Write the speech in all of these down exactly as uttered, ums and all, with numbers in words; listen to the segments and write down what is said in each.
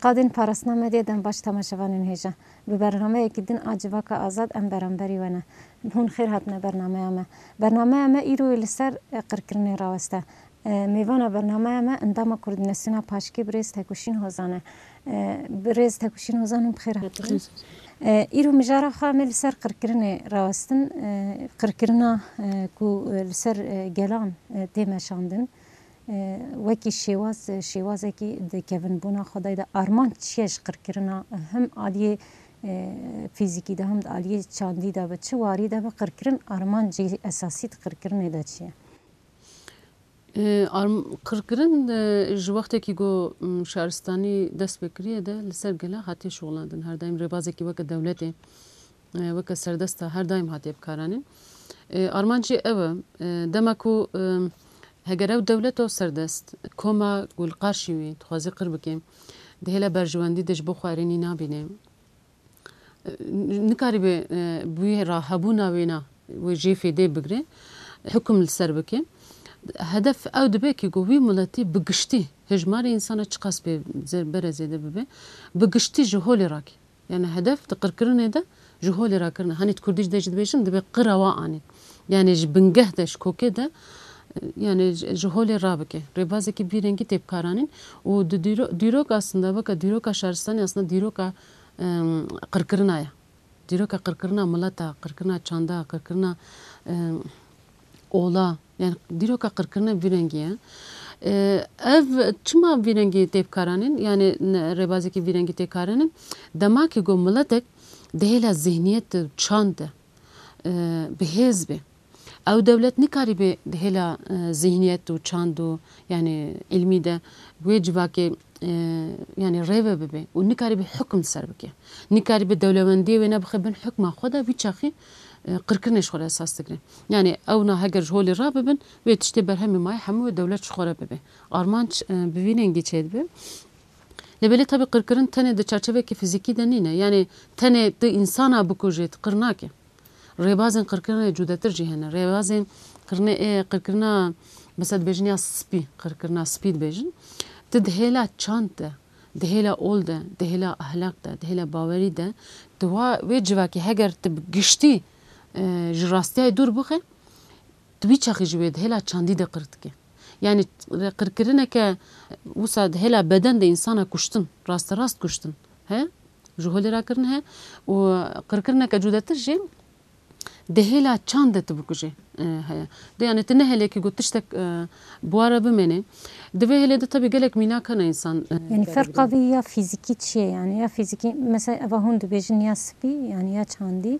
Qadên parastina medyê dem baş temaşevanên hêja. Bi bernameyekî din a Civaka Azad em beramberî we ne. Hûn xêr hatine bernameya me. Bernameya me îro li ser, e, qirkirinê raweste. E, mêvana bernameya me endama Koordînasyona Paşkê birêz Tekuşîn Hozan e. E, birêz Tekuşîn Hozan hûn bi xêr hatin. E, îro mijara xwe em ê li ser qirkirinê rawestin. E, qirkirina, e, ku, e, li ser, e, gelan, e, tê meşandin. E, wekî şêwaz, şêwazekî di kevinbûna xwe de de armanc çi ye ji qirkirina, him aliyê, e, fîzîkî de him di aliyê çandî de be, çi warî de be, qirkirin armancê esasî di qirkirinê de çi ye? E, arm-, qirkirin, e, ji wextekî ku, m, şaristanî dest pê kiriye de li ser gela hatiye şixulandin. Her daîm rêbazekî weke dewletê, e, weke serdesta her daîm hatiye bikaranîn. E, armanc jî ew e, e, dema ku, e, heger ew dewleto serdest, koma ku li qarşî wî dixwaze qir bike, di hêla berjewendî de ji bo xwe erênî nabîne. E, nikarîbe, e, bi wî re hebûna wêna wê jê fêdê bigire, hukum li ser bike. Hedef ew dibe ki ku wî miletî bi giştî hejmarê însana çiqas bê zer-, bere zêde bibe, bi giştî ji holê rake. Yani hedef di qirkirinê de ji holê rakirine. Hani di kurdî de jî dibêjin, dibe qira wa anî. Yani ji bingeh de, ji kokê de, yani ji, ji holê rabike. Rêbazekî vî rengî tê bikaranîn û di dîro-, dîrok aslında weke dîroka şaristanê aslında dîroka, em, qirkirina ye. Dîroka qirkirina mileta, qirkirina çanda, qirkirina, em, ola, yani dîroka qirkirine vî rengî ye. E, ev çima vî rengî tê bikaranîn? Yani ne, rêbazekî vî rengî tê karanîn? Dema ki ku miletek di hêla zihniyet û çand de, e, bi hêz be. Ew dewlet nikarîbe di hêla, e, zihniyet û çand û, yani îlmî de wê civakê, e, yani rêve bibe û nikarîbe hukm ser bike. Nikarîbe dewlemendiyê wê nebixe bin hukma xwe de, wî çaxî, e, qirkirinê ji xwe re esas digre. Yani ewna heger ji holê rabibin, wê tiştê berhemê mayê hemû wê dewlet ji xwe re bibe. Armanc, e, bi vî rengî çêdibe. Lê belê tabi qirkirin tenê di çarçeveke fizîkî de nîne. Yani tenê tu însana bikujê, tu qir nake. Rêbazên qirkirinê cudetir jî hene. Rêbazên qirne-, ê, qirkirina, mesela dibêjin ya spî, qirkirina spî dibêjin. Tu di hêla çand de, di hêla ol de, di hêla ahlak de, di hêla bawerî de, tu wa, wê civakê heger tu bi giştî, e, ji rastiyayê dûr bixe, tu wî çaxî ji wê di hêla çandî de qir dike. Yani qirkirineke wisa di hêla beden de însana kuştin, rasterast kuştin he, ji holê rakirin he û qirkirineke cudetir jî di hêla çand de tu bikujê, e, heye. De yani tu ne hêlekî got tiştek, e, bi wa re bimêne. Di vê hêlê de tabii gelek mînak hene însan, e, Yani ferqa vî ya fîzîkî çi ye yani? Ya fîzîkî mesela eva hûn dibêjin ya spî yani ya çandî.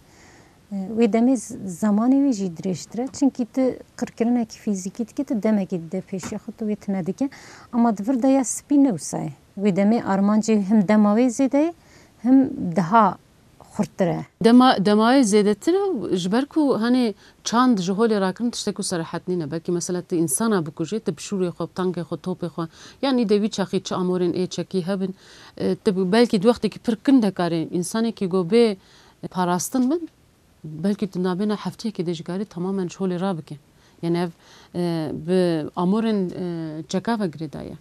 E, wê demê z-, zemanê wê jî dirêjtir e. Çimkî tu qirkirinekî fîzîkî dikî, tu demekî dide pêşiya xwe, tu wê tune dike. Ama di vir de ya spî ne wisa ye. Wê demê armancê him dema wê zêde ye, him daha xurttir e. Dema, dema wê zêdetir e, ji ber ku hani çand ji holê rakirin tiştek ku serehet nîne. Belkî mesela tu însana bikujê, tu bi şûrê xwe, bi tankê xwe, topê xwe, yanî de wî çaxî çi amorên ê çekî hebin, e, tu belkî di wextekî pir kin de karê însanekî go bê parastin bin, belkî tu nabêna hefteyekê de jî karî tamamen ji holê rabike. Yani ev, e, bi amorên, e, çeka ve girêdayî ye.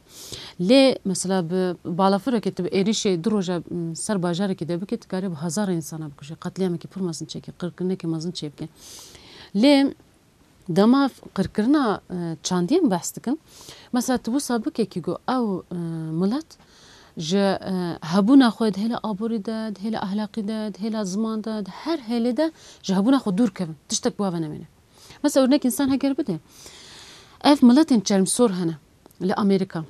Lê mesela bi balafireke tu bi êrîşê du roja, m, ser bajarekî de bike, tu karî bi hezar însana bikuje. Qetlîamekî pir mezin çêke, qirkirinekî mezin çêbike. Lê dema qirkirina, e, çandiyê em behs dikin, mesela tu wisa bike kî go ew, e, milet ji, e, hebûna xwe di hêla aborî de, di hêla ahlaqî de, di hêla ziman de, di her hêlê de ji hebûna xwe dûr kevin. Tiştek bi wa ve nemêne. Mesela örnek însan heger bide, ev miletên çermsor hene li Amerîka.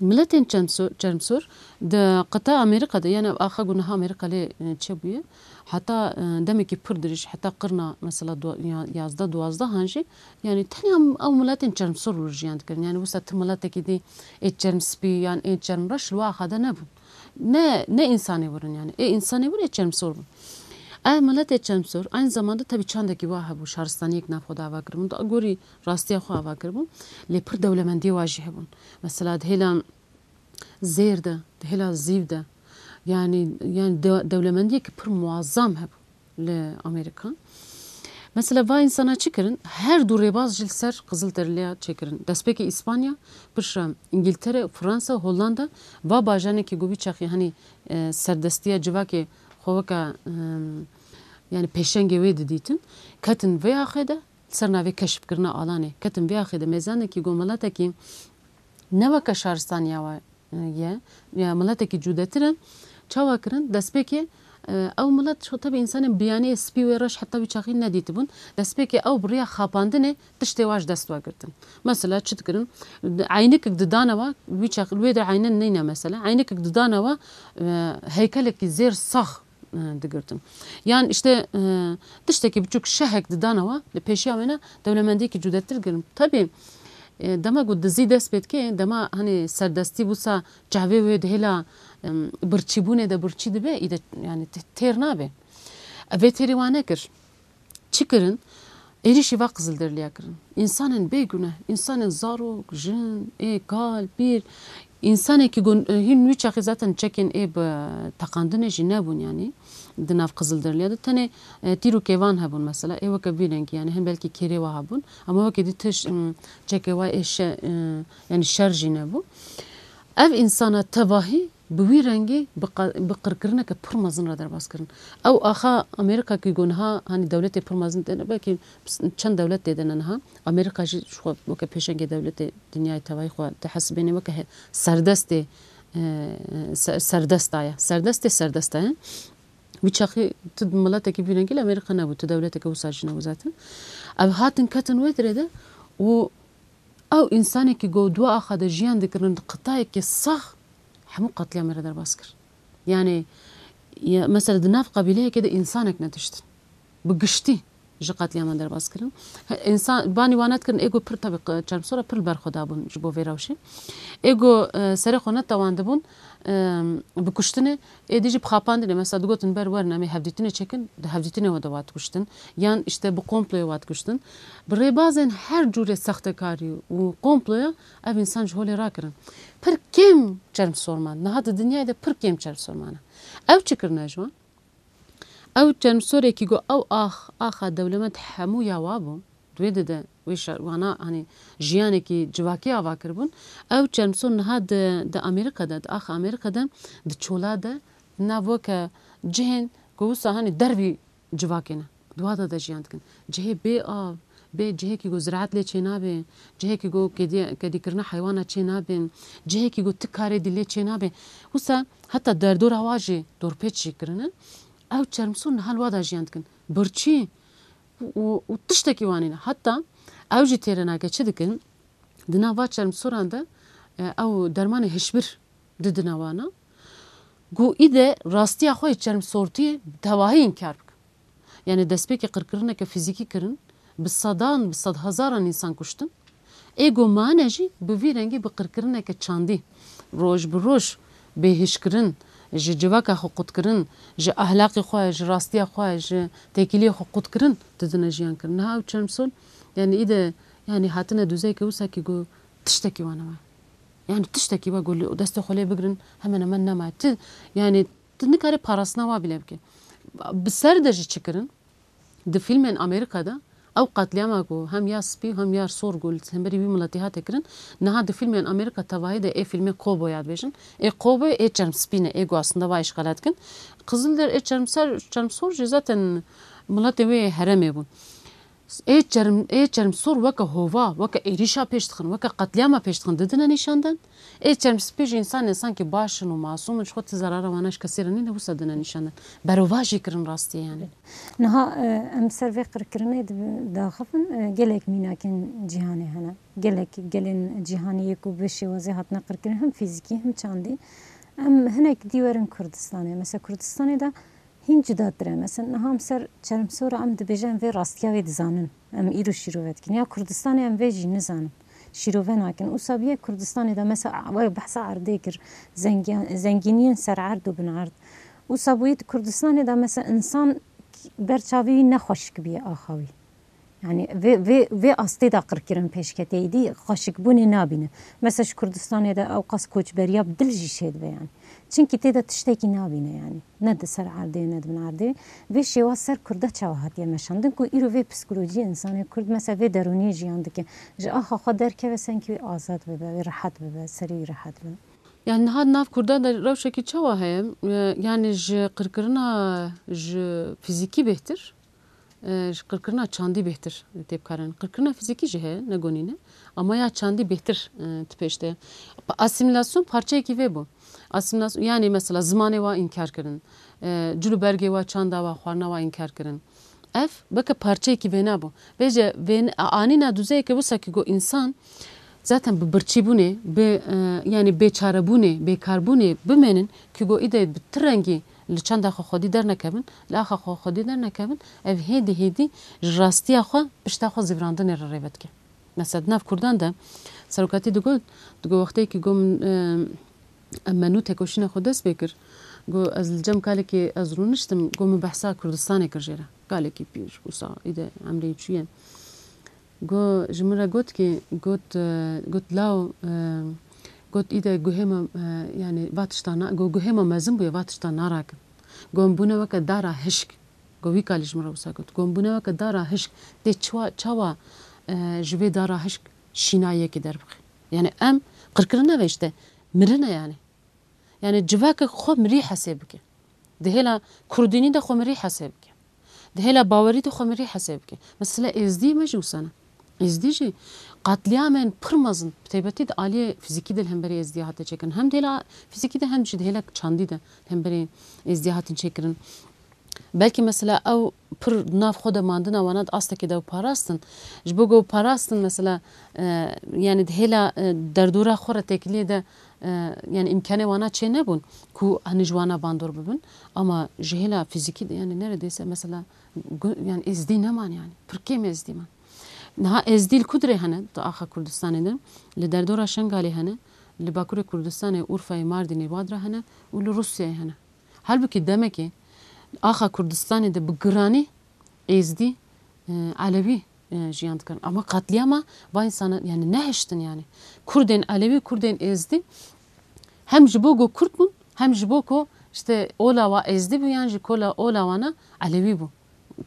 Miletên çermso-, çermsor di qita Amerîka de, yani axa ku niha Amerîka lê, e, çêbûye, heta, e, demekî pir dirêj, heta qirna mesela du-, ya-, yazdeh duwazdeh han jî, yani tenê em, ew miletên çermsor li jiyan dikirin. Yani wisa tu miletekî dî ê çermspî yan ê çermreş li we axa de nebûn. Ne, ne însanê wir in yani. Ê însanê wir ê çermsor bûn. Ev miletê çermsor aynı zamanda tabii çandekî wa hebû, şaristaniyek nav xwe de ava kiribûn. Da gorî rastiya xwe ava kiribûn. Lê pir dewlemendiyê wa jî hebûn. Mesela di hêla zêr de, di hêla zîv de, yani, yani de-, dewlemendiyeke pir muazzam hebû li Amerîka. Mesela va însana çi kirin? Her du rêbaz jî li ser Qizilderiliya çêkirin. Destpêkê Îspanya, piştre Îngîltere, Fransa, Hollanda, va bajarekî ku wî çaxî, hanî, e, serdestiya civakê xwe weke, e, yanî pêşengê wê didîtin, ketin vê axê de, li ser navê keşfkirina alanê, ketin vê axê de mêzanekî ku miletekî ne weke şaristaniya we ye, ya miletekî cudetir e. Çawa kirin? Destpêkê, e, ew milet, ço, tebî, însanên biyanî, spî wê reş heta wî çaxî nedîtibûn. Destpêkê ew bi riya xapandinê tiştê wa ji dest we girtin. Mesela çi dikirin? Eynikek didane we, wî çaxî, wê de eynen neyne mesela. Eynikek didane we, e, heykelekî zêr sax, e, digirtin. Yan işte, e, tiştekî biçûk, şehek didane we, li pêşiya wêne dewlemendiyekî cudetir girin. Tebî, e, dema ku dizî dest pê dike, dema, hanî, serdestî wisa çavê wê di hêla, em, birçîbûnê de birçî dibe, î de, yanî, te-, têr nabe. Ev ê têrî wan nekir. Çi kirin? Êrîşî va Qizilderiliya kirin. Însanên bêguneh, însanên zarok, jin, ê kal, pîr, însanekî ku, e, hîn wî çaxê zaten çekên ê bi teqandinê jî nebûn, yanî di nav Qizilderiliya de tenê, e, tîr û kêvan hebûn mesela, ê weke vî rengî, yanî hin belkî kêrê wa hebûn, ama weke dî tişt, em, çekê wa ê şe-, e, yanî şer jî nebû. Ev însana tevahî bi wî rengî bi qa-, bi qirkirineke pir mezin re derbas kirin. Ew axa Amerîka ku niha, hanî, dewletê pir mezin tê de, belkî çend dewlet tê de ne niha. Amerîka jî ji xwe weke pêşengê dewletê dinyayê tevahî xwe dihesibêne weke he-, serdestê, e, se-, serdesta ye. Serdestê serdesta ye. Wî çaxî tu miletekî vî rengî li Amerîka nebû, tu dewleteke wisa jî nebû zaten. Ev hatin ketin wê dirê de û ew însanekî ku di axa de jiyan dikirin, di qitayekê sax hemû qetlîamê re derbas kir. Yanî, ya, mesela di nav qebîleyekê de însanek nediştin. Bi giştî ji qetlîaman derbas kirin. He, însan, banî wan nedikirin, ê ku pir, tevî, q-, çermsora pir li ber xwe dabûn ji bo vê rewşê. Ê ku, e, serê xwe netewandibûn, e, bi kuştinê, ê dî jî bi xapandinê, mesela digotin ber werin em ê hevdîtinê çêkin, di hevdîtinê we de wa dikuştin. Yan işte bi komployê wa dikuştin. Bi rêbazên her cûrê sextekarî û komploya ev însan ji holê rakirin. Pir kêm çermsor man. Niha di dinyayê de pir kêm çermsor mane. Ew çi kirine ji wan? Ew çermsorekî ku ew ax, axa dewlemend hemû ya wa bû, di wê de de wê şa-, wana, hanî, jiyanekî civakî ava kiribûn. Ew çermsor niha di, di Amerîka de, di axa Amerîka de, di çola de, di nav weke cihên ku wisa, hanî, dervî civakê ne. Di wa de de jiyan dikin. Cihê bê av, bê cihekî ku ziraet lê çênabe, cihekî ku kedî-, kedîkirina heywana çênabin, cihekî ku ti karê dî lê çênabe. Wisa heta derdora wa jî dorpêç jî kirine. Ew çermsor niha li wa de jiyan dikin. Birçî û, û tiştekî wan nîne. Heta ew jî têre nake çi dikin? Di nav va çermsoran de, e, ew dermanê hişbir didine wana. Ku îde rastiya xwe yê çermsortiyê bi tevahî înkar bikin. Yanî destpêkê qirkirineke fîzîkî kirin, bi sedan, bi sedhezaran însan kuştin. Ê ku mane jî bi vî rengî bi qirkirineke çandî, roj bi roj bêhişkirin, ji civaka xwe qutkirin, ji ahlaqê xwe, ji rastiya xwe, ji têkiliyê xwe qutkirin, didine jiyan kirin. Niha ew çermsor, yanî îde, yanî hatine duzeyeke wisa kî ku tiştekî wan nema. Yanî tiştekî wa ku li destê xwe lê bigirin, hemen hemen nema. Ti, yanî tu nikarî parastina wa bîle bike. Bi ser de jî çi kirin? Di fîlmên Amerîka de ew qetlîama ku hem ya spî hem ya sor ku li hemberî wî miletî hate kirin, niha di fîlmên Amerîka tevahî de ê fîlmê Cowboya dibêjin. Ê Cowboy ê çermspî ne, ê ku aslında va îşxala dikin. Qizilder ê çermser, çermsor jî zaten miletê wê herêmê bûn. Ê çerm-, ê çermsor weke hova, weke êrîşa pêş dixin, weke qetlîama pêş dixin, didine nîşandan. Ê çermspî jî însanên sankî baş in û masûm in, ji xwe ti zerara wana ji kesê re nîne, wisa dine nîşandan. Berovajî kirin rastiyê yanî. Niha, e, em ser vê qirkirinê di-, daxivin, e, gelek mînakên cîhanê hene. Gelek gelên cîhanê yê ku bi şêwazê hatine qirkirin, him fîzîkî, him çandî. Em hinek dî werin Kurdistanê. Mesela Kurdistanê de hîn cudatir e. Mesela niha em ser çermsora em dibêjin, em vê rastiya wê dizanin. Em îro şîrove dikin. Ya Kurdistanê em vê jî nizanin. Şîrove nakin. Wisa bûye Kurdistanê de mesela we behsa erdê kir. Zengiyan-, zengîniyên ser erd û bin erd. Wisa bûye di Kurdistanê de mesela însan ber çavê wî ne xweşik bûye axa wî. Yani vê, vê, vê astê de qirkirin pêşketê, êdî xweşikbûnê nabîne. Mesela ji Kurdistanê de ew qas koçberiya bi dil jî çêdibe yani. Çimkî tê de tiştekî nabîne yani. Ne di ser erdê, ne di bin erdê. Vê şêwa ser Kurda çawa hatiye meşandin ku îro vê psîkolojiyê insanê Kurd mesela vê derûniyê jiyan dike. Ji axa xwe derkeve sengkî wê azad bibe, wê rehet bibe, serê wî rehet bibe. Yani niha di nav Kurdan de rewşekî çawa heye? E, yani ji qirkirina ji fizîkî bêhtir, e, ji qirkirina çandî bêhtir tê bikarin. Qirkirina fizîkî jî heye, ne gonî ne. Ama ya çandî bêhtir, e, di pêş de. Pa-, asîmîlasyon parçeyekî vê bû. Asîmîlasyon, yani mesela zimanê wa înkar kirin. E, cil û bergê wa, çanda wa, xwarina wa înkar kirin. Ev weke parçeyekî vêna bû. Vêce vên-, anîna duzeyeke wisa ki got însan zaten bi birçîbûnê, bi, e, yani bêçarebûnê, bêkarbûnê bimênin ki got îde bi ti rengî li çanda xwe xwedî dernekevin, li axa xwe xwedî dernekevin, ev hêdî hêdî ji rastiya xwe pişta xwe zîvirandinê re rê vedike. Mesela di nav Kurdan de serokatî digot, digot wextê ki got min, e, em me nû tekoşîna xwe dest pê kir, got ez li cem kalekê ez rûniştim, got min behsa Kurdistanê kir jê re. Kalekî pîr, wisa îde emrê çûye. Got, ji min re got ki, got, e, got law, e, got îde guhê me, e, yani va tişta na, got guhê me mezin bûye, va tişta narakin. Got em bûne weke dara hişk. Got wî kalî ji min re wisa got. Got em bûne weke dara hişk. Tê çawa, çawa, e, ji vê dara hişk şîna yekê derbixî? Yani em qirkirin nebe işte, mirin e yani. Yani civakek xwe mirî hesê bike. Di hêla kurdînî de xwe mirî hesê bike. Di hêla bawerî de xwe mirî hesê bike. Mesela êzdî me jî wisa ne. Êzdî jî qatliyamên pir mezin, bi taybetî di aliyê fizîkî de li hemberî êzdî hate çêkirin. Hem di hêla fizîkî de hem jî di hêla çandî de li hemberî êzdî hatin çêkirin. Belkî mesela ew pir di nav xwe de mandina wana di astekê de ew parastin. Ji bo ku ew parastin mesela, e, yani di hêla, e, derdora xwe re têkiliyê de, e, yani îmkanê wana çê nebûn ku henî ji wana bandor bibin. Ama ji hêla fizîkî de yani neredeyse mesela gu-, yani êzdî neman yani. Pir kêm êzdî man. Niha êzdî li ku dirê hene? Di axa Kurdistanê de. Li derdora Şengalê hene. Li Bakurê Kurdistanê, Urfayê, Mardînê, Badra hene û li Rûsyayê hene. Halbûkî demekê axa Kurdistanê de bi giranî êzdî, e, elewî, e, jiyan dikirin. Ama qatliyama va însana, yani nehiştin yani. Kurdên elewî, kurdên êzdî hem ji bo ku kurd bûn, hem ji bo ku işte ola wa êzdî bû, yan jî kola ola wana elewî bû.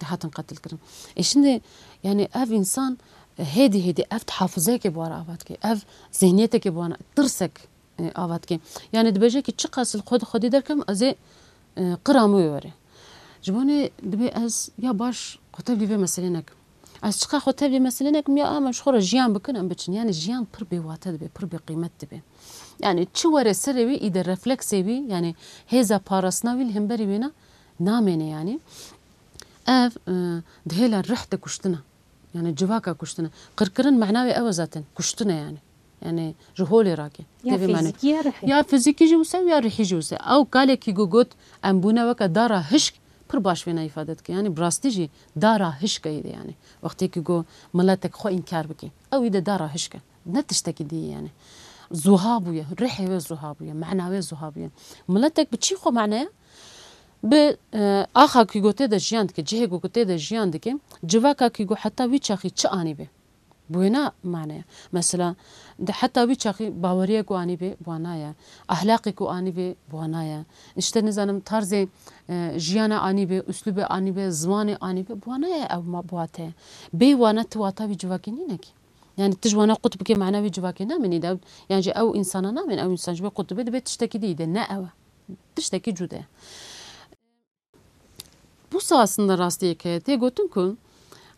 Dihatin qetil kirin. E şimdi yani ev însan, e, hêdî hêdî ev hafizeyeke bi wan re ava dike. Ev zihniyetekê bi wan re, tirsek e, ava dike. Yani dibêje ki çiqas li xwe di xwedî derkem ez ê, e, qira min wê were. Ji bo nê dibê ez ya baş xwe tevlî vê meselê nekim. Ez çiqas xwe tevlî meselê nekim ya em ji xwe re jiyan bikin em biçin. Yani jiyan pir bêwate dibe, pir bêqîmet dibe. Yani çi were serê wî îde refleksê wî, yani hêza parastina wî li hemberî wêna namêne yani. Ev, e, di hêla rih de kuştina. Yani civaka kuştine. Qirkirin mena wê ew e zaten. Kuştine yani. Yani ji holê rake. Ya tevî mane. Fizîkî ya rihî. Ya fizîkî jî wisa ya rihî jî wisa. Ew kalekî ku got em bûne weke dara hişk pir baş vêna îfade dike. Yani bi rastî jî dara hişk e de yani. Wextê ki ku miletek xwe înkar bike. Ew î de dara hişk e. Ne tiştekî dî yani. Zuha bûye. Rihê wê zuha bûye. Mena wê zuha bûye. Miletek bi çî xwe mane ye? Bi, e, axa ku tê de jiyan dike, cihê ku tê de jiyan dike, civaka ku heta wî çaxî çi anî be? Bi wêna mane ye. Mesela, di heta wî çaxî baweriyê ku anî be, bi wana ye. Ahlaqê ku anî be, bi wana ye. İşte nizanim tarzê, e, jiyana anî be, uslûbê anî be, zimanê anî be, bi wana ye ew ma-, bi wate ye. Bê wana tu wata wî civakê nîne ki. Yani tu ji wana qut bike mana wî civakê namênî de. Yani ji ew însana namên, ew însan ji wê qut dibe, dibe tiştekî dî de, ne ew e. Tiştekî cude. Busa aslında rastiyek heye. Tê gotin ku,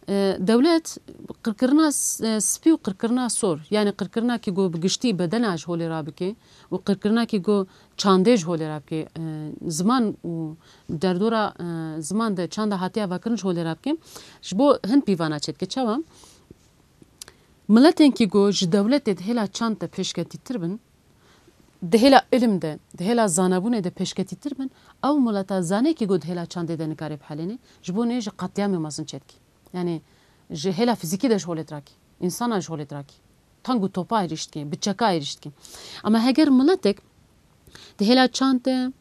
e, dewlet qirkirina s-, e, spî û qirkirina sor, yani qirkirina ki ku bi giştî bedena ji holê rabike û qirkirina ki ku çandê ji holê rabike, e, ziman û derdora, e, ziman de çanda hatiye avakirin ji holê rabike, ji bo hin pîvana çêdike. Çawa? Miletên ki ku ji dewletê di hêla çand de pêşketîtir bin, di hêla ilim de, di hêla zanebûnê de pêşketîtir bin, ew mileta zanê ki ku di hêla çandê de nikare bihelêne, ji bo nê ji qetliyamê mezin çêdikî. Yani ji hêla fizîkî de ji holê dirakî, însana ji holê dirakî. Tang û topa êrîş dikî, bi çeka êrîş dikî. Ama heger miletek di hêla çand de,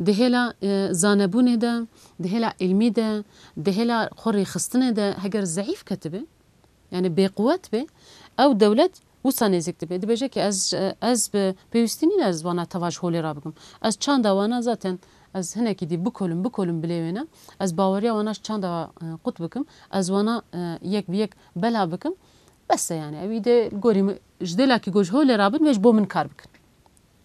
di hêla, e, zanebûnê de, di hêla ilmî de, di hêla xwe rêxistinê de heger zeîf ketibe, Yani bêquwet be, ew dewlet wisa nêzîk dibe. Dibêje ki ez, ez bi pêwîstî nîne ez wana teva ji holê rabikim. Ez çanda wana zaten ez hinekî dî bikolim, bikolim bilê wêne. Ez baweriya wana ji çanda, e, qut bikim. Ez wana, e, yek bi yek bela bikim. Bes e yani. Ew î de gorî min, ji dêla ki go ji holê rabin, wê ji bo min kar bikin.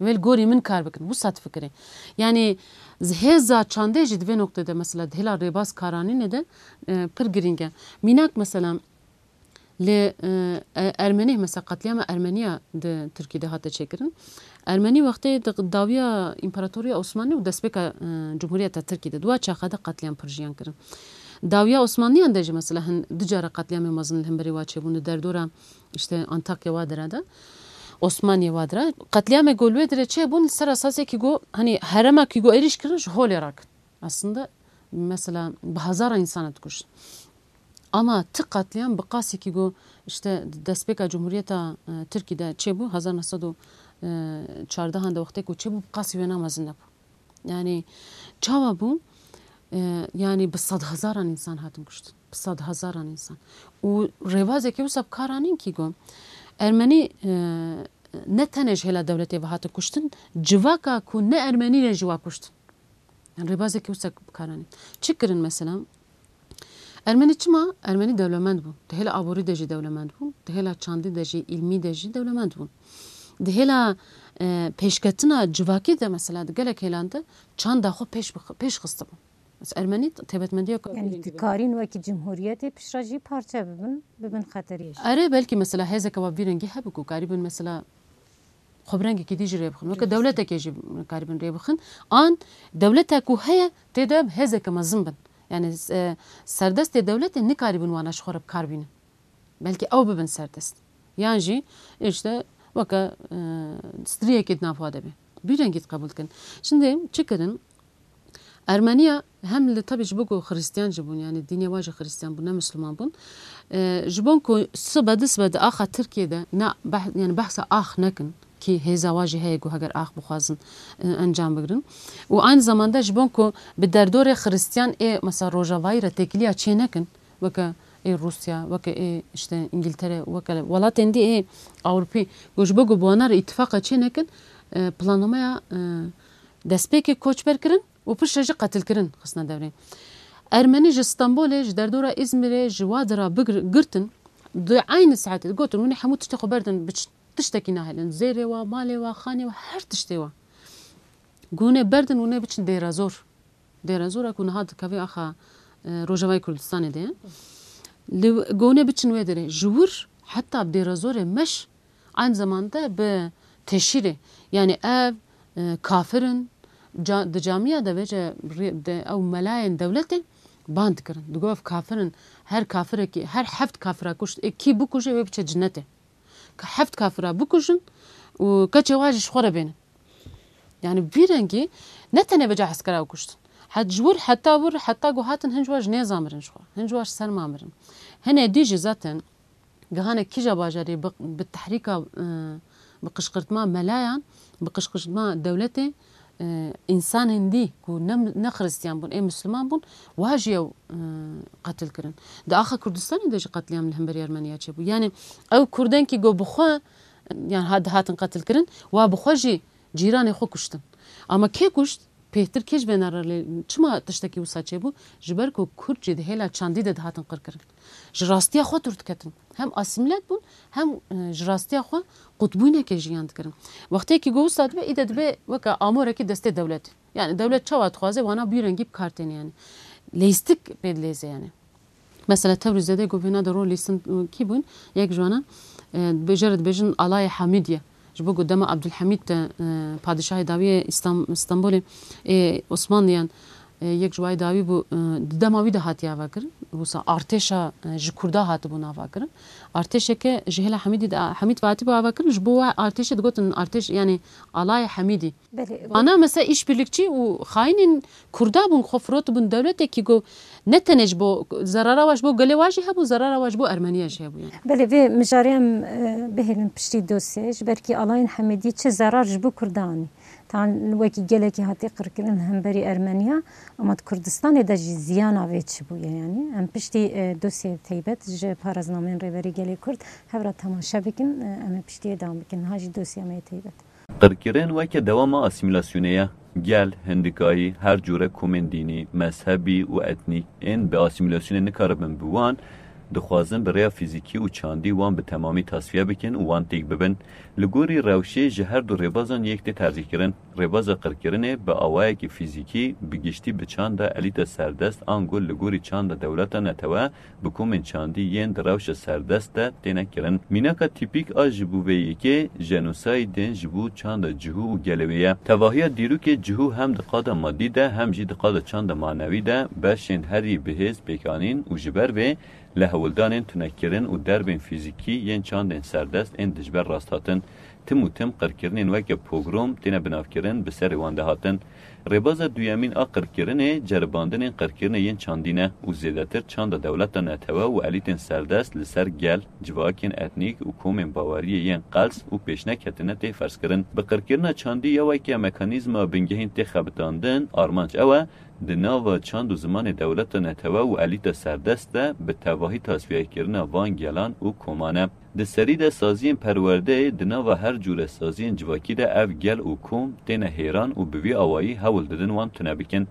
Wê li gorî min kar bikin. Wisa difikirê. Yani, hêza çandê jî di vê noktê de, mesela, di hêla rêbaz karanînê de, e, pir girîng e. Mînak, mesela, li, e, e, Ermenî, mesela, qetlîama Ermeniya di Tirkî de hate çêkirin. Ermenî wextê di dawiya Împaratoriya Osmanî û destpêka, e, Cumhuriyeta Tirkî de, di wa çaxa de qetlîam pir jiyan kirin. Dawiya Osmanliyan de jî, mesela, hin du cara qetlîamê mezin li hemberî wa çêbûn, li derdora, işte, Antakya wa dira de, Osmaniye wa dira. Qetlîamê ku li wê dirê çêbûn, li ser esasê ki go, hani, herema ki go êrîş kirin, ji holê rakin. Aslında, mesela, bi hezara însan dikuştin. Ama ti qetlîam bi qasî ki go, işte, destpêka Cumhuriyeta, e, Tirkî de çêbû, hezar neh sed û çardehan de wextê ku çêbû, bi qasî wêna mezin nebû. Yani, çawa bû? E, yani, bi sedhezaran însan hatin kuştin. Bi sedhezaran însan. Û rêbazeke wisa bi kar anîn ki go, Ermenî, e, ne tenê ji hêla dewletê ve hatin kuştin, civaka ku ne Ermenî ne jî wa kuştin. Yani, rêbazeke wisa bi kar anîn. Çi kirin mesela? Ermenî çima? Ermenî dewlemend bûn. Di hêla aborî de jî dewlemend bûn. Di hêla çandî de jî, îlmî de jî dewlemend bûn. Di hêla, e, pêşketina civakî de mesela di gelek hêlan de çanda xwe pêş bix-, pêş xistibûn. Mesela Ermenî taybetmendiya ku Yani dikarîn wekî cumhuriyetê piştre jî parçe bibin, bibin xeteriyê jî. Erê, belkî mesela hêzeke wa vî rengî hebû ku karîbin mesela xwe bi rengekî dî jî rê bixin. Weke dewletekê jî karibin rê bixin. An dewleta ku heye tê de hêzeke mezin bin. Yani, e, serdestê dewletê nikaribin wana ji xwe re bi kar bînin. Belkî ew bibin serdest. Yan jî işte weke, e, striyekê di nav xwe de be. Bî rengî diqebûl dikin. Şimdi çi kirin? Ermeniya hem li tabi ji bo ku Xristiyan jî bûn, yani dînê wa jî Xristiyan bûn, ne Misliman bûn. E, ji bo ku sibe di sibe di axa Tirkiyê de ne beh-, yani behsa ax nekin, ki hêza wa jî heye ku heger ax bixwazin, e, encam bigirin. Û aynı zamanda ji bo ku bi derdorê Xristiyan ê mesela Rojavayî re têkiliya çê nekin, weke ê Rûsya, weke ê işte Îngiltere, weke welatên dî ê Ewropî, ku ji bo ku bi wana re îtifaqa çê nekin, e, plannameya, e, destpêkê koçberkirin û piştre jî qetilkirin xistine devrê. Ermenî ji Stenbolê, ji derdora Îzmîrê, ji wa dira bigir-, girtin, di eynî saetê de gotin, hûn ê hemû tiştê xwe berdin, biçin. Tiştekî nahêlin. Zêrê wa, malê wa, xanê wa, her tiştê wa. Hûn ê berdin, hûn ê biçin Dêrezor. Dêrezora ku niha dikeve axa, e, Rojavayê Kurdistanê de ye. Li, hûn ê biçin wê derê. Ji wir heta bi Dêrezorê meş, aynı zamanda bi teşhîrê. Yani ev, e, kafir in. Ca-, di camiya de vêce rê-, de ew melayên dewletê band dikirin. Digot ev kafir in. Her kafirekî, her heft kafira kuşt, ê kî bikuje wê biçe cinnetê. Ka heft kafira bikujin û keçê wa jî ji xwe re bênin. Yani vî rengî ne tenê vêca eskera kuştin. Het ji wir heta wir, heta ku hatin hin ji wa ji nêza mirin ji xwe. Hin ji wa ji serma mirin. Hinê dî jî zaten gihane kîja bajarê bi, bi tehrîka, e, bi qişqirtma melayan, bi qişqirtma dewletê, e, însanên dî ku ne, ne Xristiyan bûn, ê Misliman bûn, wa jî ew, e, qetil kirin. Di axa Kurdistanê de jî qetlîam li hemberî Ermeniya çêbû. Yani ew Kurdên ki go bi xwe, yani ha-, dihatin qetil kirin, wa bi xwe jî cîranê xwe kuştin. Ama kê kuşt? Pêhtir kê ji vê nare lê çima tiştekî wisa çêbû? Ji ber ku Kurd jî di hêla çandî de dihatin qirkirin. Ji rastiya xwe dûr diketin. Hem asîmîle dibûn, hem, e, ji rastiya xwe qutbûyîneke jiyan dikirin. Wextê ki go wisa dibe, îde dibe weke amorekî destê dewletê. Yani dewlet çawa dixwaze, wana bî rengî bi kar têne yani. Leyîstik pê dileyze yani. Mesela Tebrîzê de ku vêna de rol lîstin kî bûn? Yek ji wana, e, dibêje re dibêjin Alayê Hamîdiye. Ji bo ku dema Abdulhamîd de, e, padîşahê dawî yê Îstam-, Stenbolê, ê Osmanliyan, e, yek ji wayê dawî bû, e, di dema wî de hatiye avakirin. Wisa artêşa, e, ji Kurda hatibûn avakirin. Artêşeke ji hêla Hamîdî de, Hamîd ve hatibû avakirin, ji bo wa artêşê digotin artêş, yani Alayê Hamîdî. Belê. Ana mesela îşbirlikçî û xayînên Kurda bûn, xwe firotibûn dewletekî ku ne tenê ji bo zerara wa ji bo gelê wa jî hebû, zerara wa ji bo Ermeniya jî hebû yani. Belê, vê mijarê em, e, bihêlin piştî dosyayê, ji ber kî Alayên Hemêdî çi zerar ji bo Kurda anî. Tan wekî gelekî hatiye qirkirin hemberî Ermeniya, ama di Kurdistanê de jî ziyana vê çi bûye? Yanî em piştî, e, dosyeyê teybet ji paraznameyên Rêberî Gelê Kurd hev re temaşe bikin, e, em ê piştiyê dewam bikin. Niha jî dosya me yê teybet. Qirkirin weke dewama asîmîlasyonê ye. Gel, hindikayî, her cûre komên dînî, mezhebî û etnîk ên bi asîmîlasyonê nikaribin bi wan, dixwazin bi rêya fîzîkî û çandî wan bi temamî tasfiye bikin û wan têk bibin. Li gorî rewşê ji her du rêbazan yek tê tercîhkirin. Rêbaza qirkirinê bi awayekî fîzîkî bi giştî bi çanda elîta serdest ango li gorî çanda dewleta netewe bi komên çandî yên di rewşa serdest de têne kirin. Mînaka tîpîk a ji bo vê yekê jenosaydên ji bo çanda cihû û gelê wê ye. Tevahiya dîrokê cihû hem di qada madî de hem jî di qada çanda manewî de beşên herî bihêz pêkanîn û ji ber vê li hewldanên tunekirin û derbên fîzîkî yên çandên serdest ên dijber rasthatin, tim û tim qirkirinên weke pogrom têne binavkirin bi serê wan de hatin. Rêbaza duyemîn a qirkirinê ceribandinên qirkirinê yên çandî ne û zêdetir çanda dewleta netewe û elîtên serdest li ser gel, civakên etnîk û komên baweriyê yên qels û pêşneketine tê ferzkirin. Bi qirkirina çandî ya weke mekanîzma bingehîn tê xebitandin, armanc ew e, di nava çand û zimanê dewleta netewe û elîta serdest de bi tevahî tasfiyekirina van gelan û koman e. Di serî de saziyên perwerdeyê di nava her cûre saziyên civakî de ev gel û kom têne hêran û bi vî awayî hewl didin wan tune bikin.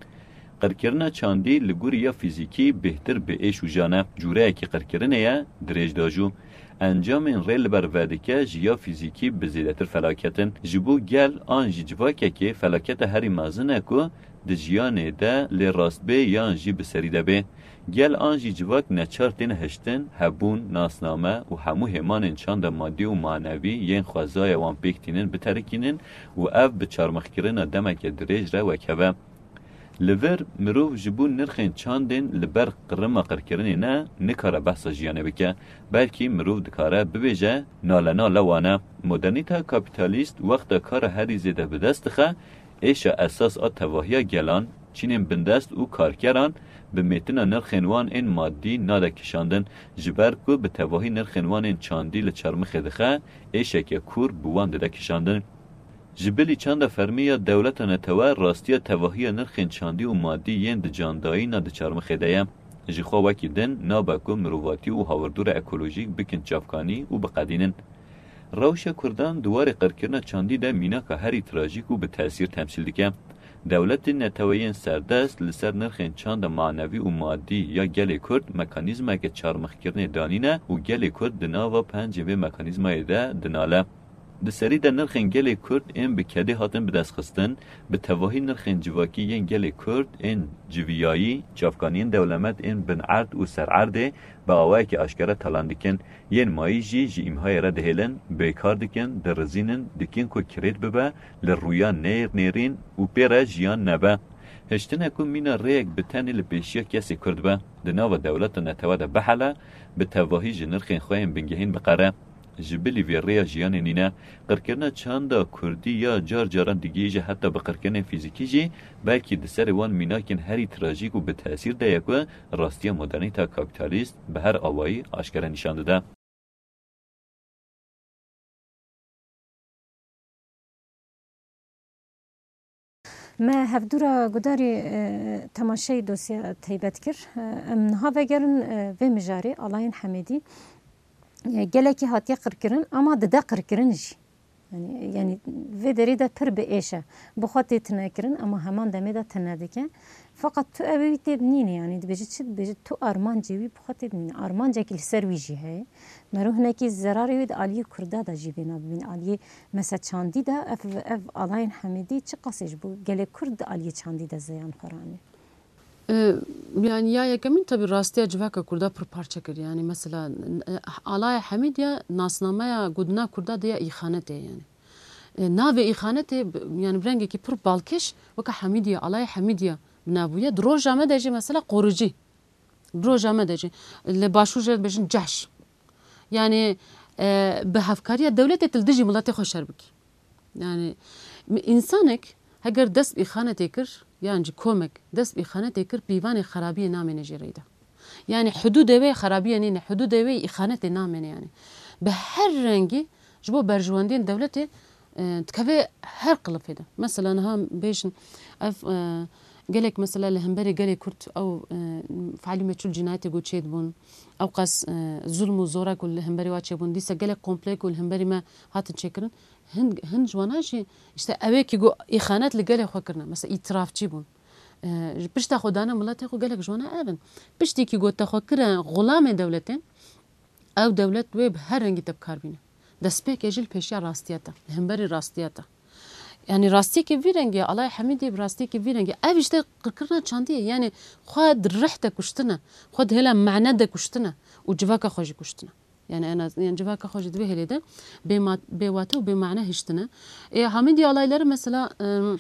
Qirkirina çandî li gorî ya fîzîkî bêhtir bi êş û jan e. Cûreyekî qirkirinê ye, dirêj da jû. Encamên rê li ber vedike ji ya fîzîkî bi zêdetir felaket in. Ji bo gel an jî civakekê felaketa herî mezin e ku di jiyanê de lê rastbê yan jî bi serî de bê. Gel an jî civak neçar tên hiştin, hebûn, nasname û hemû hêmanên çanda madî û manevî yên xwezaya wan pêk tînin biterikînin û ev bi çarmixkirina demeke dirêj re wekhev e. Li vir mirov ji bo nirxên çandên li ber qirima qirkirinê ne, nikare behsa jiyanê bike, belkî mirov dikare bibêje, nale nale wan e. Modernîteya kapîtalîst wexta kara herî zêde bi dest dixe, êşa esas a tevahiya gelan, çînên bindest û karkeran bi mêtina nirxên wan ên madî nade kişandin, ji ber ku bi tevahî nirxên wan ên çandî li çarmixê dixe, êşeke kûr bi wan dide kişandin. Ji bilî çanda fermî ya dewleta netewe rastiya tevahiya nirxên çandî û madî yên di candayîna di çarmixê de ye. Jixwe wekî din nabe ku mirovatî û hawirdûra ekolojîk bikin çavkanî û biqedînin. Rewşa Kurdan di warê qirkirina çandî de mînaka herî trajîk û bi tesîr temsîl dike. Dewletên neteweyên serdest li ser nirxên çanda manevî û madî ya gelê Kurd mekanîzmayeke çarmixkirinê danîne û gelê Kurd di nava pencên vê mekanîzmayê de dinale. Di serî de nirxên gelê Kurd ên bi kedê hatin bidestxistin, bi tevahî nirxên civakî yên gelê Kurd ên civiyayî, çavkaniyên dewlemend ên binerd û sererdê bi awayekî aşkere talan dikin. Yên mayî jî ji îmhayê re dihêlin, bêkar dikin, dirizînin, dikin ku kirêt bibe, li rûya nêr nêrîn û pê re jiyan nebe. Hiştine ku mîna rêyek bi tenê li pêşiya kesê Kurd be, di nava dewleta netewe de bihele, bi tevahî ji nirxên xwe yên bingehîn biqere. Ji bilî vê rêya jiyanê nîne. Qirkirina çanda kurdî ya car caran digihîje heta bi qirkirinên fîzîkî jî, belkî di serê wan mînakên herî trajîk û bi tesîr de ye ku rastiya modernîteya kapîtalîst bi her awayî aşkere nîşan dide. Me hevdûra gudarî, e, temaşeyî dosya teybet kir. E, em niha vegerin, e, vê mijarê, Alayên Hemêdî, e, gelekî hatiye qirkirin, ama dide qirkirin jî. Yanî, yanî vê derê de pir bi êş e. Bi xwe tê tune kirin, ama heman demê de tune dike. Feqet tu ew ê wî tê dinînî, yanî dibêjî çi? Dibêjî tu armancê wî bi xwe tê dinînî. Armancekî li ser wî jî heye. Mero hinekî zerarê wê di aliyê Kurda de jî bêna bibîn. Aliyê mesela çandî de ev, ev Alayên Hemêdî çiqasê ji bo gelê Kurd di aliyê çandî de zeyan xwe ranî? E, yani ya yekemîn tabii rastiya civaka Kurda pir parçe kir. Yani mesela, e, Alaya Hemîdiya nasnameya godina Kurda de ya îxanetê yani. E, navê îxanetê b-, yani bi rengekî pir balkêş weka Hemîdiya, Alaya Hemîdiya bi nav bûye. Di roja me de jî mesela qorucî. Di roja me de jî. Li başûr jê dibêjin cehş. Yani, e, bi hevkariya dewletê tu li dijî miletê xwe şer bikî. Yani, mi-, însanek heger dest bi îxanetê kir, yan jî komek dest bi îxanetê kir, pîvanê xerabiyê namêne jê reyde. Yani, hudûdê wê xerabiyê nîne, hudûdê wê îxanetê namêne yani. Bi her rengî ji bo berjewendiyên dewletê e, dikeve her qilifê de. Mesela niha bêjin ev, e, gelek mesela li hemberî gelê Kurd ew, e, fealî meçûl cînayetê ku çêdibûn, ew qas, e, zulm û zora ku li hemberî wa çêbûn, dîsa gelek komple ku li hemberî me hatin çêkirin, hin, hin ji wana jî işte ewê ki ku îxanet li gelê xwe kirine, mesela îtirafçî bûn. E, ji pişta xwe dane miletê xwe gelek ji wana ev in. Piştî ki ku te xwe kire xulamê dewletê, ew dewlet wê bi her rengî te bi kar bîne. Destpêkê jî li pêşiya rastiya te, li hemberî rastiya te. Yani rastiyekê vî rengî ye, Alay Hemîdî bi rastiyekê vî rengî ye. Ev işte qirkirina çandî ye. Yani xwe di rih de kuştine, xwe di hêla mane de kuştine û civaka xwe jî kuştine. Yani en az, yani civaka xwe jî di vê hêlê de bê ma-, bê wate û bê mane hiştine. Ê, Hamîdî alayları mesela, em,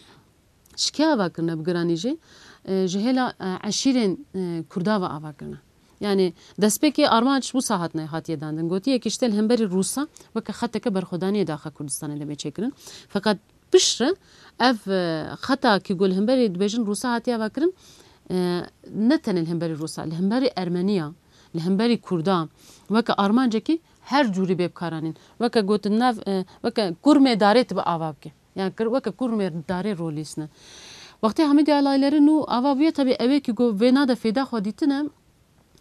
şikê ava kirine bi giranî jî, e, ji hêla, e, eşîrên, e, Kurda ve ava kirine. Yani destpêkê armanc wisa hatine, hatiye dandin. Gotiye ki işte li hemberî Rûsa weke xeteke berxwedaniyê daxa Kurdistanê de bê çêkirin. Feqet piştre ev, e, xeta ki ku li hemberî dibêjin Rûsa hatiye ava kirin, e, ne tenê li hemberî Rûsa, li hemberî Ermeniya, li hemberî Kurda, weke armancekî her cûrî bê bikaranîn. Weke gotin nav, e, weke kurmê darê tu bi ava bike. Yani kir-, weke kurmê darê rolîsne. Wextê Hamîdî alayleri nû ava bûye, tabi ewê ki ku vê nade fêda xwe dîtine,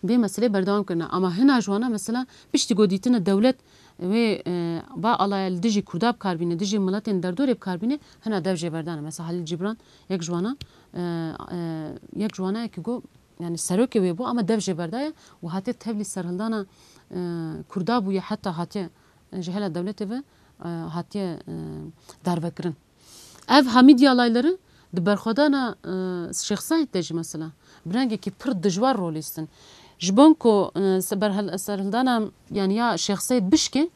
vê meselê berdewam kirine. Ama hina ji wana mesela piştî ku dîtine dewlet wê, e, va alaya li dijî Kurda bi kar bîne, dijî miletên derdorê bi kar bîne, hina dev jê berdane. Mesela Halil Cibran yek ji wana, e, e, yek ji wana ye ki ku, yani serokê wê bû ama dev jê berdaye û hatiye tevlî serhildana, e, Kurda bûye, heta hatiye, e, ji hela dewletê ve, e, hatiye, e, darvekirin. Ev Hamîdî alayları di berxwedana, e, Şêx Seîd de jî mesela bi rengekî pir dijwar rolîstin. Ji bo ku, e, se-, berhel-, serhildana, yani ya Şêx Seîd bişkê,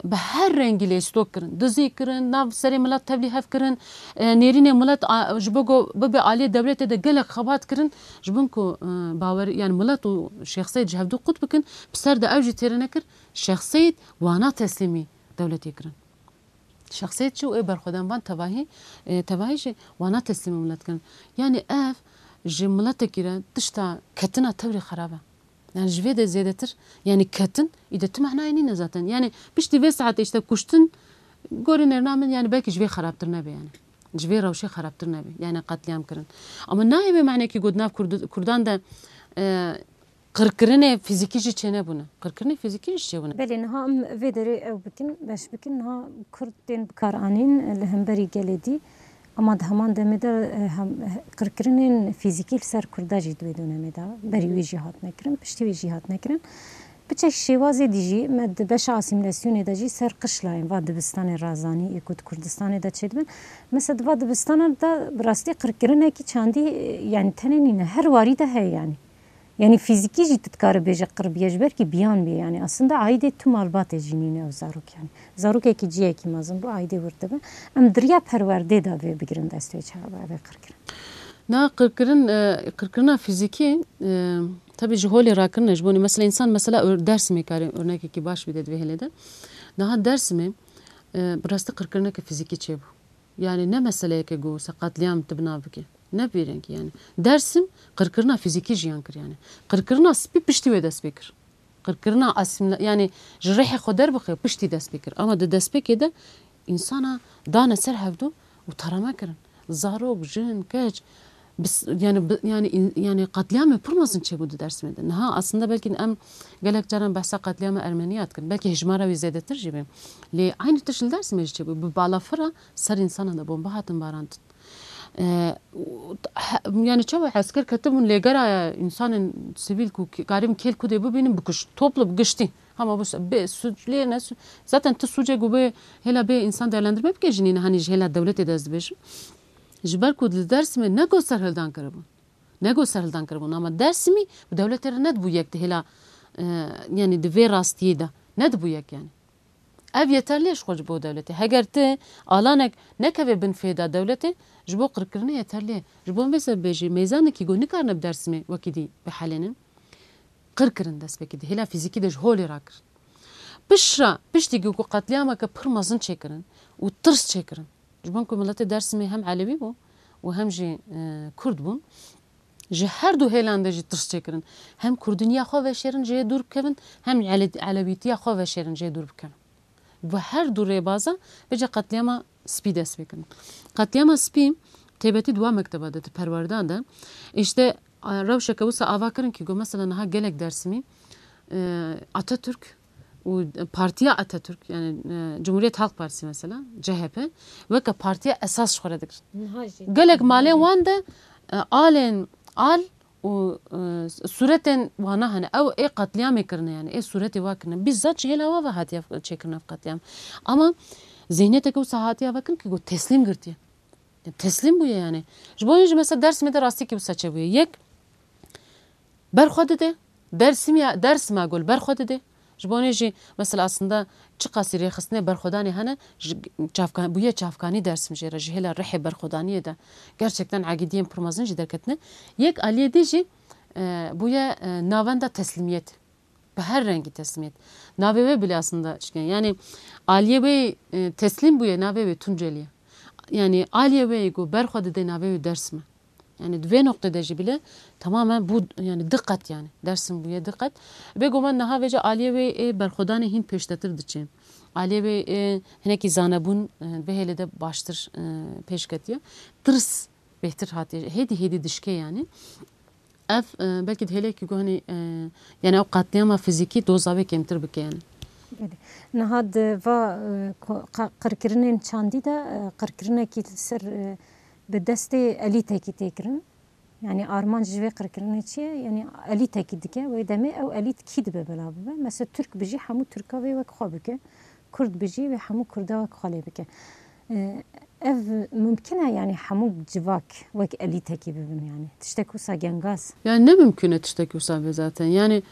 bi her rengî lêstok kirin. Dizî kirin, nav serê milet tevlî hev kirin, e, nêrînê milet a-, ji bo ku bibe aliyê dewletê de gelek xebat kirin. Ji bo ku, e, bawer, yani milet û Şêx Seîd ji hevdu qut bikin, bi ser de ew jî têrê nekir. Şêx Seîd wana teslîmî dewletê kirin. Şexsiyet çi û ê berxwedan van tevahî, e, tevahî jî wana teslîmê milet kirin. Yani ev ji miletekî re tişta ketina tewrê xerab e. Yani ji vê de zêdetir, yani ketin, î de tu manayê nîne zaten. Yani piştî vê saetê işte kuştin, gorî nêrina min, yani belkî ji vê xerabtir nebe yani. Ji vê rewşê xerabtir nebe. Yani qetlîam kirin. Ama nayê vê manekî got nav Kurd-, Kurdan de, e, qirkirinê fîzîkî jî çênebûne. Qirkirinê fîzîkî jî çêbûne. Belê, niha em vê derê ew bikin, beş bikin, niha Kurd tên bikaranîn li hemberî gelê dî. Ama di heman demê de, e, hem, qirkirinên fîzîkî li ser Kurda jî di wê dönemê de berî wê jî hatine kirin, piştî wê jî hatine kirin. Bi çek şêwazê dî jî me di beşa asîmîlasyonê de jî ser qişlayên va dibistanê razanî ê ku di Kurdistanê de çêdibin. Mesela di va dibistana de bi rastî qirkirinekî çandî, e, yani tenê nîne, her warî de heye yani. Yani fîzîkî jî tu dikarî bêje qir bûye, ji ber kî biyan bûye yani. Aslında aîdê tu malbatê jî nîne ew zarok yani. Zarokekî ciyekî mezin bû, aîdê wir dibe. Em di riya perwerdê de vê bigirin dest wê çawa ev ê qirkirin. Na qirkirin, e, qirkirina fîzîkî, e, tabii ji holê rakirin e, ji bo mesela însan mesela ör-, Dersimê kare örnekekî baş bide di vê hêlê de. Niha Dersimê, e, bi rastî qirkirineke fîzîkî çêbû. Yani ne meseleyeke ku se qetlîam tu bi nav bike. Ne bi vî rengî yani. Dersim qirkirina fîzîkî jiyan kir yani. Qirkirina spî piştî wê dest pê kir. Qirkirina asîmla-, yani ji rihê xwe derbixe piştî dest pê kir. Ama di destpêkê de însana dane ser hevdu û tarama kirin. Zarok, jin, keç, bis-, yani bi-, yani in-, yani qetlîamê pir mezin çêbû di Dersimê de. Niha aslında belkî em gelek caran behsa qetlîama Ermeniya dikin. Belkî hejmara wî zêdetir jî be. Lê aynî tişt li Dersimê jî çêbû. Bi balafira ser însana de bomba hatin barandin. E, û, he, yani çawa esker ketibûn lêgera însanên sivîl ku ki-, karibin kêl kudê bibînin bikuş. Toplu bi giştî. Hema bu se-, bê suç lê ne su-, zaten tu sucê ku bê hêla bê însan değerlendirme bike jî nîne, hani ji hêla dewletê de ez dibêjim. Ji ber ku li Dersimê ne got serhildan kiribûn. Ne got serhildan kiribûn. Ama Dersimî bi dewletê re nedibû yek di hêla, e, yani di vê rastiyê de. Nedibû yek yani. Ev yeterli ye ji xwe ji bo dewletê. Heger ti alanek nekeve bin fêda dewletê, ji bo qirkirinê yeterli ye. Ji bo vê sebebê jî mêzanekî ku nikarine bi Dersimê wekî dî bihelênin, qir kirin destpêkê de. Hêla fîzîkî de ji holê rakirin. Piştre, piştî ku qetlîameke pir mezin çêkirin û tirs çêkirin. Ji bo ku miletê Dersimê hem Elewî bû û hem jî, e, Kurd bûn. Ji her du hêlan de jî tirs çêkirin. Hem kurdiniya xwe veşêrin, jê dûr bikevin, hem ele-, elewîtiya xwe veşêrin, jê dûr bikevin. Bi her du rêbaza bêje qetlîama Spî dest pê kirin. Qetlîama Spî taybetî di wa mekteba de, di perwerdan de, îşte, e, rewşeke wisa ava kirin kî got, mesela niha gelek Dersimî, e, Atatürk û Partiya Atatürk, yani, e, Cumhuriyet Halk Partisi mesela, C H P, weke partiya esas ji xwe re digirin. Niha jî. Gelek malên wan de, e, alên al û, e, sûretên wana hene. Ew ê qetlîamê kirine yani, ê sûretê wa kirine. Bizzat ji hêla wa ve hatiye çêkirin ev qetlîam. Ama zihniyeteke wisa hatiye vekirin kî got teslîm girtiye. Teslîm bûye yani. Ji bo jî mesela Dersimê de rastî kî wisa çêbûye. Yek, berxwe dide. Dersim ya, Dersim a gol berxwe dide. Ji bo jî mesela aslında çiqasî rêxistinê berxwedanê hene, ji çavka-, bûye çavkanî Dersim jê re, ji hêla rihê berxwedaniyê de. Gerçekten agîdiyên pir mezin jî derketine. Yek aliyê dî jî, e, bûye, e, navenda teslîmiyet. Bi her rengî teslîmiyet. Navê wê bile aslında çikin. Yani aliyê wê, e, teslîm bûye, navê wê Tunceliye. Yani aliyê wê ku berxwe dide navê wê Dersim e. Yani di vê noqtê de jî bile tamamen bû, yani diqet yani. Dersim bûye diqet. Bêguman niha vêca aliyê wê ê berxwedanê hîn pêştetir diçe. Aliyê wê ê hinekî zanebûn, e, vê hêlê de baştir, e, pêş ketiye. Tirs bêhtir hatiye. Hêdî hêdî dişkê yani. Ev, e, belkî di hêlekî ku hinî, e, yani ew qetlîama fizîkî doza wê kêmtir bike yani. Belê. Niha di va, e, ko-, qa-, qirkirinên çandî de, e, qirkirinekî li ser, e, bi destê elîtekî tê kirin. Yani armanc ji vê qirkirinê çi ye? Yani elîtekî dike, wê demê ew elît kî dibe belav bibe? Mesela Tirk bijî hemû Tirka wê wek xwe bike. Kurd bijî wê hemû Kurda wek xwe lê bike. E, ev mumkin e, yani hemû civak wek elîtekî bibin yani. Tiştek wisa gengaz. Yani ne mumkin e tiştek wisa be zaten. Yani,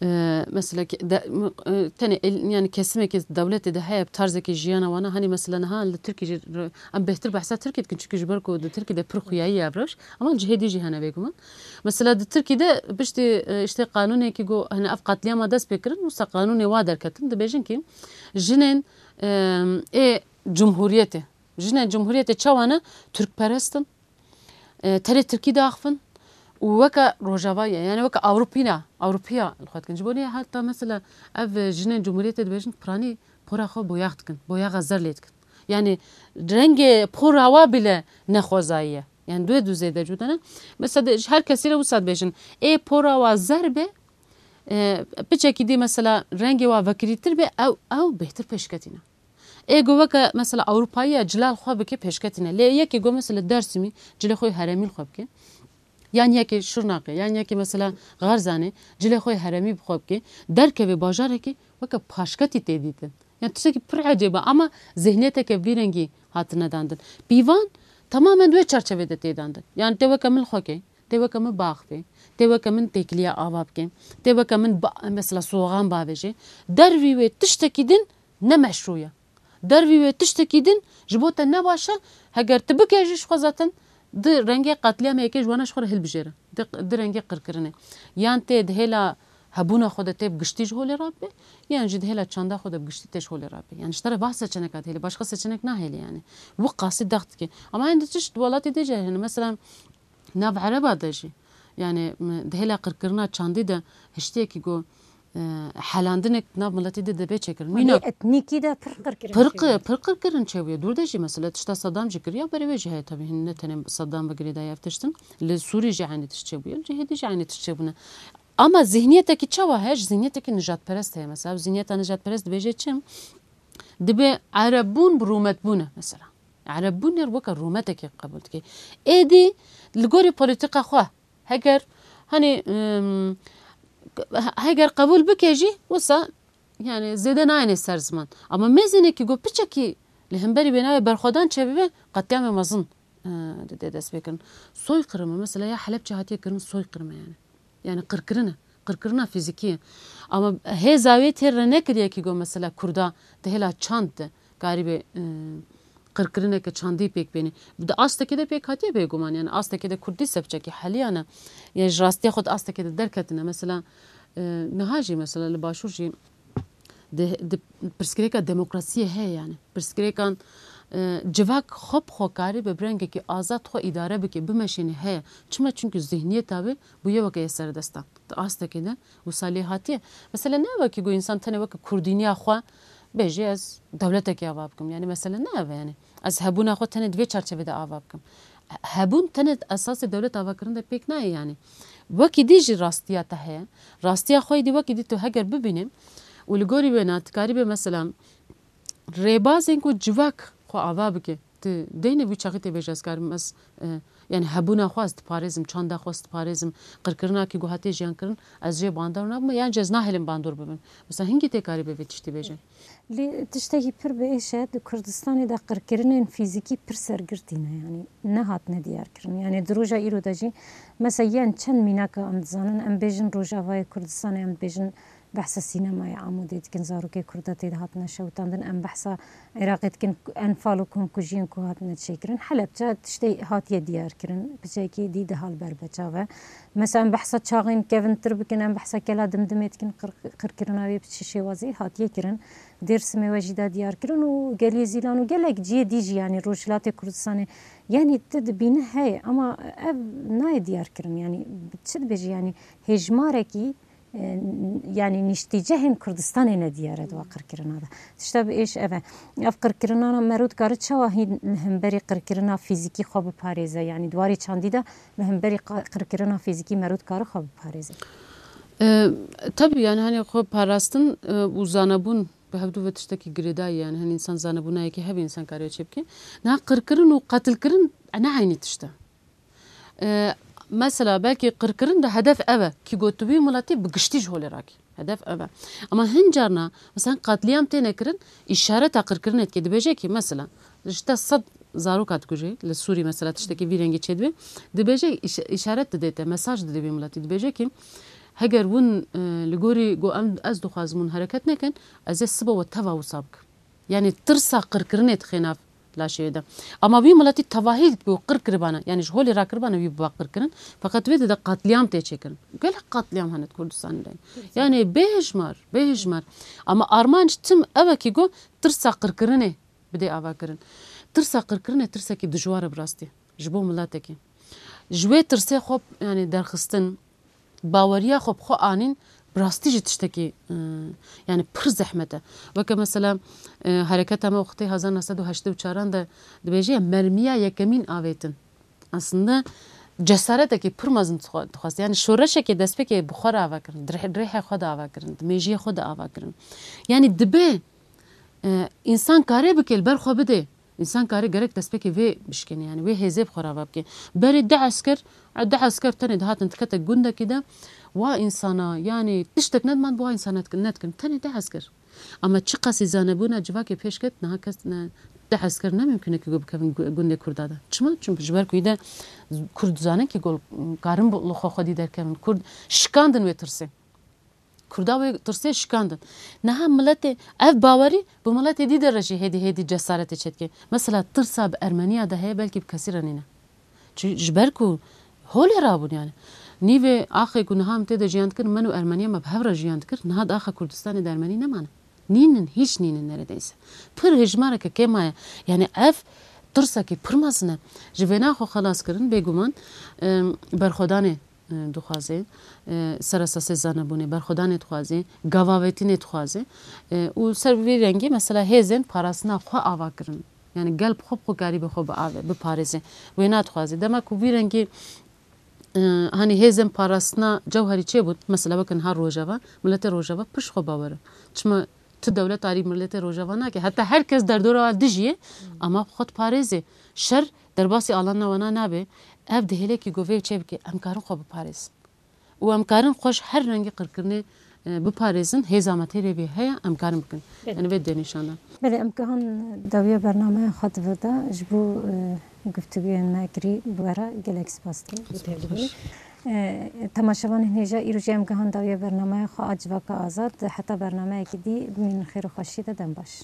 e, mesela ke-, de, m-, e, tenê el-, yani kesimekî dewletê de heye bi tarzekî jiyana wana, hani mesela niha li Tirkî jî re-, em bêhtir behsa Tirkî dikin, çünkü ji ber ku di Tirkî de pir xuyayî ye ev rewş. Ama cihê dî jî hene bêguman. Mesela di Tirkî de piştî, e, işte qanûnekî got, hani ev qetlîama dest pê kirin, wisa qanûnê wa derketin, dibêjin ki jinên, e, ê cumhuriyetê, jinên cumhuriyetê çawa ne? Tirkperest in. E, tenê tirkî diaxivin û weke Rojava ye, yani weke Ewropî ne, Ewropiya li xwe dikin. Ji bo nê heta mesela ev jinên cumhuriyetê dibêjin, piranî pora xwe boyax dikin, boyaxa zer lê dikin. Yani rengê pora wa bile ne xwezayî ye. Yani duê du zêde cuda ne. Mesela de, ji her kesî re wisa dibêjin, ê pora wa zer be, e, piçekî dî mesela rengê wa vekirîtir be, ew, ew bêhtir pêşketî ne. Ê go weke mesela Ewropayî ya cila li xwe bike pêşketî ne. Lê yekê go mesela Dersimî cilê xwe herêmî li xwe bike. Yan yekê Şirnaqê, yan yekê mesela Xerzanê cilê xwe herêmî bi xwe bike. Derkeve bajarekê weke paşketî tê dîtin. Yani tiştekî pir ecêb e ama zihniyeteke vî rengî hatine dandin. Pîvan tamamen di wê çarçevê de tê dandin. Yani tê weke min li xwe ke, tê weke min baxivê, tê weke min têkiliya ava bike, tê weke min ba-, mesela slogan bavêje. Dervî wê tiştekî din ne meşrû ye. Dervî wê tiştekî din ji bo te ne baş e, heger tu bike jî ji xwe zaten di rengê qetlîamê yekê ji wana ji xwe re hilbijêre. Di, di rengê qirkirinê. Yan tê di hêla hebûna xwe de tê bi giştî ji holê rabe, yan jî di hêla çanda xwe de bi giştî tê ji holê rabe. Yani ji te re va seçeneka dihêle, başka seçenek nahêle yani. Wi qasî dext dike. Ama hindî tişt welatê dê jî hene. Mesela nav ereba de jî. Yani m-, di hêla qirkirina çandî de hiştiyekî ku, e, helandinek nav miletî de dibê çêkirin. Mîna etnîkî de pir qirkirin pir çêbûye. Qi-, pir qirkirin çêbûye. Dûr de jî mesela tişta Saddam jî kiriya, berê wê jî heye tabii. Hîn ne tenê Saddam ve girêdayî ev tiştin. Li Sûrî jî eynî tişt çêbûye. Cihêdî jî eynî tişt çêbûne. Ama zihniyetekî çawa heye? Ji zihniyetekî nijadperest heye mesela. Ev zihniyeta nijadperest dibêje çi? Dibê Erebbûn bi rûmetbûn e mesela. Erebbûn yer weke rûmetekê qebûl dike. Êdî li gorî polîtîka xwe heger, hani, em, heger qebûl bike jî wisa yani zêde nayêne ser ziman. Ama mêzênekî got piçekî li hemberî wê navê berxwedan çêbibe, qetlîamê mezin, e, dide dest pê kirin. Soyqirime, mesela ya Helebçe hatiye kirin soyqirime yani. Yani qirkirine, qirkirina fizîkî ye. Ama hêza wê têr re nekiriye ki got mesela Kurda di hêla çand de karîbe, e, qirkirineke çandî pêk bêne. Di astekê de pêk hatiye bêguman. Yani astekê de Kurdî sepçekî heliyane. Yani ji rastiya xwe di astekê de derketine. Mesela, e, niha jî mesela li Başûr jî di, di pirsgirêka demokrasiyê heye yani. Pirsgirêkan, e, civak xwe bi xwe karî be bi rengekî azad xwe îdare bike, bimeşîne heye. Çima? Çimkî zihniyeta wê bûye weke yê serdestan. Di astekê de wisa lê hatiye. Mesela ne wekî ku însan tenê weke kurdîniya xwe bêjî ez dewletekê ava bikim. Yani mesele ne ev e yani. Ez hebûna xwe tenê di vê çarçevê de ava bikim. Hebûn tenê esasê dewlet avakirin de pêk nayê yani. Wekî dî jî rastiya te heye. Rastiya xwe yê dî wekî dî tu heger bibînî û li gorî wêna tu karî bê mesela rêbazên ku civak xwe ava bike. Tu deynê wî çaxî tê bêje ez karim ez, e, yani hebûna xwe ez diparêzim, çanda xwe ez diparêzim, qirkirina kî ku hatiye jiyan kirin, ez jê bandor nabim, yan jî ez nahêlim bandor bibim. Mesela hingî tê karî bê vê tiştî bêje. Lê tiştekî pir bi êş e, di Kurdistanê de qirkirinên fîzîkî pir sergirtî ne, yanî nehatine diyarkirin. Yanî di roja îro de jî, mesela yên çend mînaka em dizanin, em bêjin Rojavayê Kurdistanê, em dibêjin behsa sînemayê Amûdê dikin, zarokê Kurda tê de hatine şewitandin, em behsa Iraqê dikin, enfal û komkujiyên ku hatine çêkirin. Helebçe tiştê hatiye diyarkirin, piçekî dî de hal berbeçav e. Mesela em behsa çaxên kevintir bikin, em behsa kela Dimdimê dikin, qir-, qirkirina wê bi çi şêwazî hatiye kirin. Dêrsimê we jî da diyar kirin û Geliyê Zîlan û gelek cihê dî jî, yanî Rojhilatê Kurdistanê, yanî tu dibîne heye, ama ev nayê diyar kirin, yanî çi dibêjî, yanî hêjmarekî, e, yanî niştîcehên Kurdistanê ne diyar e di wa qirkirina de. Tişta bi êş ev e. Ev qirkirina mero dikare çawa hîn li hemberî qirkirina fîzîkî xwe biparêze, yanî di warê çandî de li hemberî qa-, qirkirina fîzîkî mero dikare xwe biparêze? E, tabii yani hani xwe parastin, e, û zanebûn bi hevdu ve tiştekî girêdayî yani hani insan zanebûnayekî hebe insan kare çê bike. Niha qirkirin û qetilkirin ne eynî tişt e. E, mesela belkî qirkirin de hedef ev e, kî got tu wî miletî bi giştî ji holê rakî. Hedef ev e. Ama hin carna, mesela qetlîam têne kirin, îşareta qirkirinê dike. Dibêje kî, mesela, ji te sed zaroka dikuje, li Sûrî mesela tiştekî vî rengî çêdibe, dibêje, îş-, îşaret dide te, mesaj dide vî miletî. Dibêje kî, heger hûn, e, li gorî got em, ez dixwazim hûn hereket nekin, ez ê sibe we teva wisa bikim. Yani tirsa qirkirinê dixê nav laşê wê de. Ama wî miletî tevahî ku qir kiribana, yani ji holê rakiribana wî biba qir kirin, feqet wê dide qetlîam tê çêkirin. Gelek qetlîam hene di Kurdistanê de. Yani bêhejmar, bêhejmar. Ama armanc tim ev e kî ku tirsa qirkirinê bidê ava kirin. Tirsa qirkirinê tirsekî dijwar e bi rastî. Ji bo miletekî. Ji wê tirsê xwe, yani derxistin, baweriya xwe bi xwe anîn, bi rastî jî tiştekî, e, yani pir zehmet e. Weke mesela, e, hereketa me wextê hezar neh sed û heştê û çaran de dibêje, mermiya yekemîn avêtin. Aslında cesaretekî pir mezin dixwa-, dixwest. Yani şoreşekê destpêkê bi xwe re ava kirin, di rih-, rêhê xwe de ava kirin, di mêjiyê xwe de ava kirin. Yani dibe, e, însan kare bike, li ber xwe bide. Însan kare gerek destpêkê vê bişkêne, yani wê hêzê bi xwe re ava bike. Berê deh esker, deh esker tenê dihatin dikete gundekî de, wa însana, yani tiştek nediman bi wa însana nedikin, tenê deh esker. Ama çiqasî zanebûna civakê pêş ket, niha kes ne, deh esker ne mimkun e ku bikevin gu-, gundê Kurda de. Çima? Çimkî ji ber ku î de Kurd zanin kî gol karin bi li xwe xwedî derkevin. Kurd şikandin wê tirsê. Kurda wê tirsê şikandin. Niha miletê, ev bawerî bi miletê dî de re jî hêdî hêdî cesaretê çêdike. Mesela tirsa bi Ermeniya de heye, belkî bi kesî re nîne. Çi, ji ber ku holê rabûn yani. Nîvê axê ku niha em tê de jiyan dikir, me û Ermeniya me bi hev re jiyan dikir, niha di axa Kurdistanê de Ermenî nemane. Nînin, hîç nînin neredeyse. Pir hejmareke kêm maye. Yani ev tirsekî pir mezin e. Ji vêna xwe xelas kirin, bêguman, em, berxwedanê e, dixwaze, e, seresasê zanebûnê, berxwedanê dixwaze, gavavêtinê dixwaze, e, û ser vî rengî mesela hêzên parastina xwe ava kirin. Yani gel bi xwe bi xwe karî bi xwe biave-, biparêze. Wê nadixwaze. Dema ku vî rengî, e, hani hêzên parastina cewherî çêbûn, mesela weke niha Rojava, miletê Rojava pişt xwe bawer e. Çima tu dewlet arî miletê Rojava nake? Heta her kes derdora wan dijî ye, ama xwe diparêze. Şer derbasî alana wana nabe. Ev dihêle kî govê çê bike, em karin xwe biparêzin. Û em karin xwe ji her rengî qirkirinê, e, biparêzin. Hêza me têrê vê heye, em karin bikin. Belê. Yani vê dê nîşan da. Belê, em gihan dawiya bernameya xwe di vir de ji bo, e, guftugûyên me kirî bi we re gelek spas dikim. Bi tevdibûnê. E, temaşevanên hêja, îro jî em gihan dawiya bernameya xwe a Civaka Azad. Heta bernameyekî dî bimînin xêr û xweşiyê de, dem baş.